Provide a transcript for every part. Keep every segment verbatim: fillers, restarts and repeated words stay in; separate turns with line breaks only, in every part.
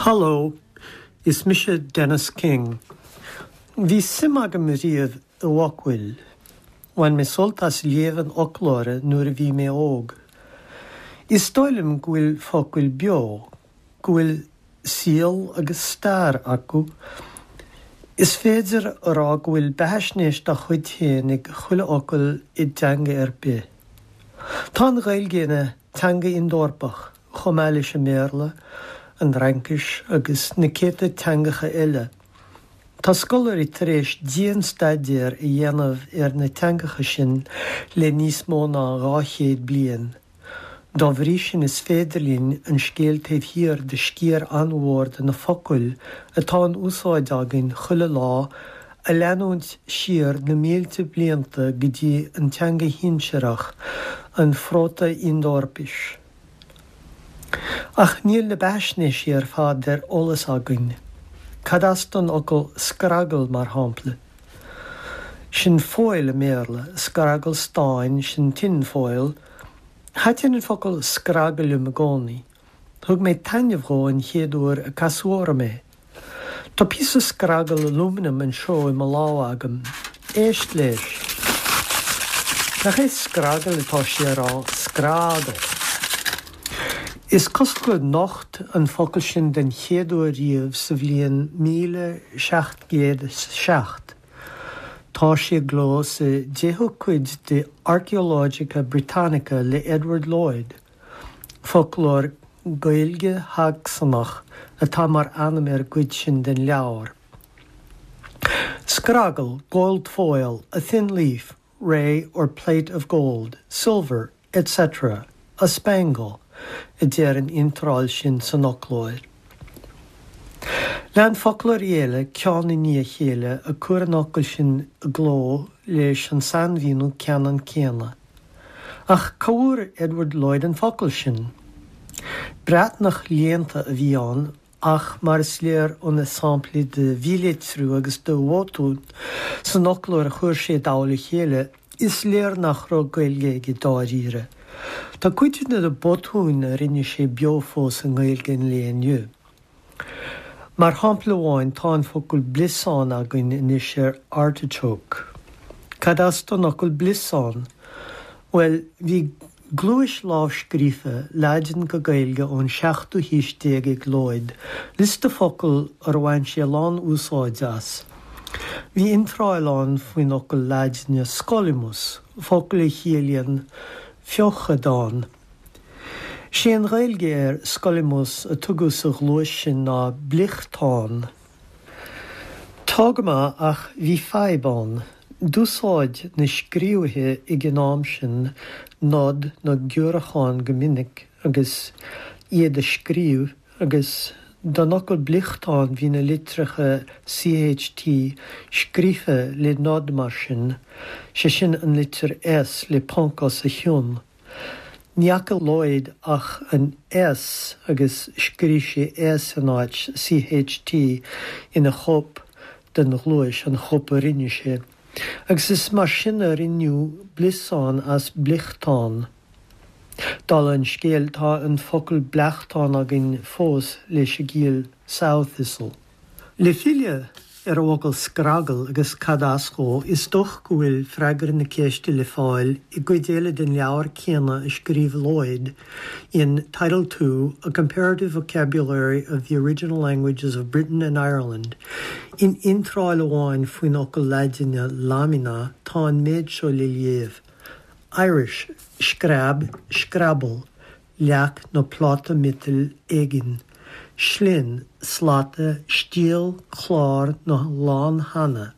Haló, is mise Dennis King. Bhí suim agam riamh i bhfocail. Bhain mé sult as léamh an fhoclóra nuair a bhí mé óg. Is dóigh liom go bhfuil focail beo, go bhfuil saol agus stair acu. Is féidir a rá go bhfuil beathaisnéis dá chuid féin ag chuile fhocal i dteanga ar bith. Tá an Ghaeilge ina teanga Ind-Eorpach, chomh maith leis an mBéarla, an Fhraincis agus na céadta teangacha eile. Tá scoláirí tar éis dianstaidéar a dhéanamh ar na teangacha sin le níos mó ná dhá chéad bliain. Dá bhrí sin is féidir linn an scéal taobh thiar de sciar an-mhór de na focail atá in úsáid againn chuile lá a leanúint siar na mílte blianta go dtí an teanga shinsearach, an Phróta-Ind-Eorpais. Ach níl na beathaisnéisí ar fad ar eolas againn. Cad as don fhocal scragall mar shampla? Sin foil i mBéarla, scragall stáin, sin tin foil. Thaitin an focal scragall liom i gcónaí. Thug mé taitneamh dhó an chéad uair a casadh orm é. Tá píosa scragall alúmanaim anseo i mo lámh agam. Éist leis. Nach é scragall atá sé a rá, scragall. Is cosúil gur nocht an focal sin den chéad uair riamh sa bhliain míle seacht gcéad is seacht. Tá sé i gcló sa deichiú cuid de Archaeologica Britannica le Edward Lhuyd, foclóir Gaeilge-Shacsanach atá mar ainm ar an gcuid sin den leabhar. Scragall, gold foil, a thin leaf, ray or plate of gold, silver, etc., a spangle, a deir an iontráil sin san fhoclóir. Lean foclóirí eile ceann i ndiaidh a chéile ag cur an fhocail sin i gcló leis an sainmhíniú ceannann céanna. Ach cá bhfuair Edward Lhuyd an focal sin? Breatnach léannta a bhí ann ach mar is léir ó na samplaí de mhílitriú agus de bhotúin san fhoclóir a chuir sé i dtoll a chéile, is léir nach raibh Gaeilge aige dáiríre. Tá cuid de na botúin a rinne sé beo fós i nGaeilge an lae inniu. Mar shampla amháin tá an focal bliosán againn anois ar artichoke. Cad as don fhocal bliosán? Bhuel, bhí gluais lámhscríofa Laidin go Gaeilge ón seachtú haois déag ag Lhuyd, liosta focal ar bhain sé a lán úsáid as. Bhí iontráil ann faoin fhocal Laidine scolymus, focal a chiallaíonn feochadán. Sé an Ghaeilge ar scolymus a tugadh sa ghluais sin ná bliochtán. Tá go maith ach bhí fadhb ann. D'úsáid na scríobhaithe ag an am sin nod nó giorrúchán go minic agus iad ag scríobh agus don fhocal bliochtán bhí na litreacha CHT scríofa le nod mar sin, sé sin an litir S le ponc os a chionn. Ní fhaca Lhuyd ach an S agus scríobh sé S in áit CHT ina chóip den ghluais an chóip a rinne sé. Agus is mar sin a rinneadh bliosán as bliochtán. Dála an scéil tá an focal bleachtán againn fós leis an gciall sow thistle. Le filleadh ar an bhfocal scragall agus cad as dhó, is dócha go bhfuil freagra na ceiste le fáil i gcuid eile den leabhar céanna a scríobh Lhuyd in Title Two, A Comparative Vocabulary of the Original Languages of Britain and Ireland. In iontráil amháin faoin fhocal Laidine lamina tá an méid seo le léamh. Irish, screab, scrabble, leac nó pláta miotail éigin. Slinn, slata, stiall, clár nó lánhanna.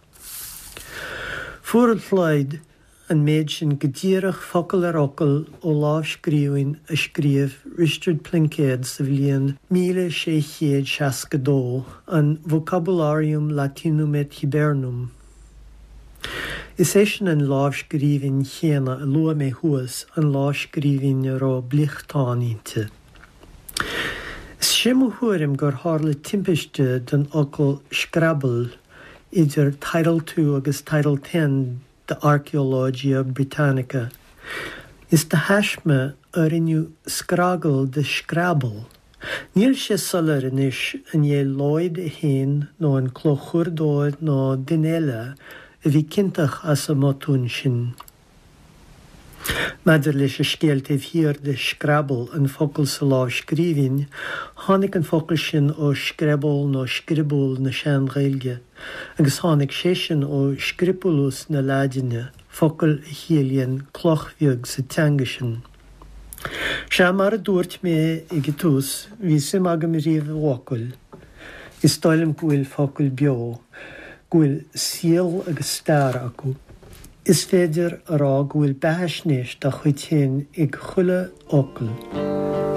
Fuair Lhuyd an méid sin go díreach focal ar fhocal ó lámhscríbhinn a scríobh Risteard Pluincéad sa bhliain míle sé chéad seasca dó, an Vocabularium Latinum et Hibernum. Is é sin an lámhscríbhinn chéanna a luaigh mé thuas, an lámhscríbhinn a raibh bliochtán inti. Sé mo thuairim gur tharla timpiste don fhocal scrabble idir Title Two agus Title Ten de Archaeologia Britannica. Is de thaisme a rinneadh scragall de scrabble, Níl sé soiléir anois an é Lloyd é féin nó an clóchuardóir nó duine eile a bhí ciontach as an mbotún sin. Maidir leis an scéal taobh thiar de Scrabble, an focal sa lámhscríbhinn, tháinig an focal sin ó screból nó scriobul na Sean-Ghaeilge, agus tháinig sé sin ó scripulus na Laidine, focal a chiallaíonn cloch bheag sa teanga sin. Sea, mar a dúirt mé ag an tús, bhí suim agam riamh i bhfocail. Is dóigh liom go bhfuil focail beo, go bhfuil saol agus stair acu. Is féidir a rá go bhfuil beathaisnéis dá chuid féin ag chuile fhocal.